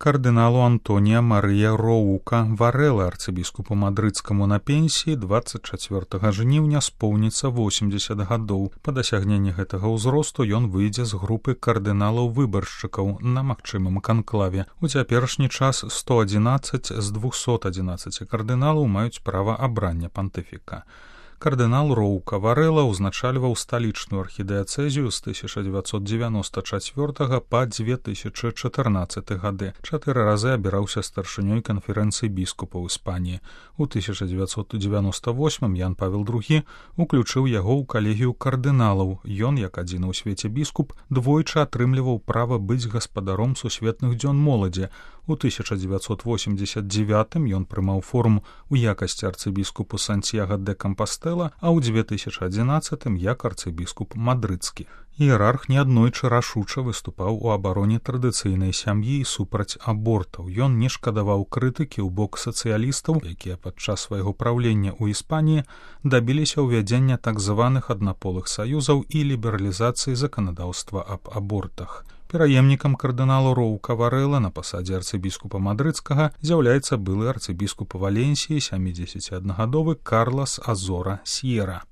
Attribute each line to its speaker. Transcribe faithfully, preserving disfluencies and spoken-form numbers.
Speaker 1: кардыналу Антонія Марыя Роука Варэла, арцыбіскупу мадрыдскаму на пенсіі, дваццаць чацвёртага жніўня споўніцца восемдзесят гадоў. Па дасягненні гэтага ўзросту ён выйдзе з групы кардыналаў-выбаршчыкаў на магчымым канклаве. У цяперашні час сто адзінаццаць з двухсот адзінаццаці кардыналаў маюць права абрання пантыфіка. Кардынал Роука Варэла ўзначальваў сталічную архідыяцэзію з тысяча дзевяцьсот дзевяноста чацвёртага па дзве тысячы чатырнаццаты гады. Чатыры разы абіраўся старшынёй канферэнцыі біскупаў Іспаніі. У тысяча дзевяцьсот дзевяноста восьмым Ян Павел другі уключыў яго ў калегію кардыналаў. Ён, як адзіны ў свеце біскуп, двойчы атрымліваў права быць гаспадаром сусветных дзён моладзі. У тысяча дзевяцьсот восемьдесят девятым ён прымаў форму ў якасці арцыбіскупу Сантьяго де Кампастэла, а ў две тысячи адзінаццатым як арцыбіскуп мадрыдскі. Іерарх неаднойчы рашуча выступаў у абароне традыцыйнай сям'і і супраць абортаў. Ён не шкадаваў крытыкі ў бок сацыялістаў, якія падчас свайго праўлення ў Іспаніі дабіліся ўвядзення так званых аднаполых саюзаў і лібералізацыі заканадаўства аб абортах. Пераемнікам кардыналу Роука Варэла на пасадзе арцыбіскупа мадрыдскага з'яўляецца былы арцыбіскуп Валенсіі сямідзесяциаднагадовы Карлас Азора Сьера.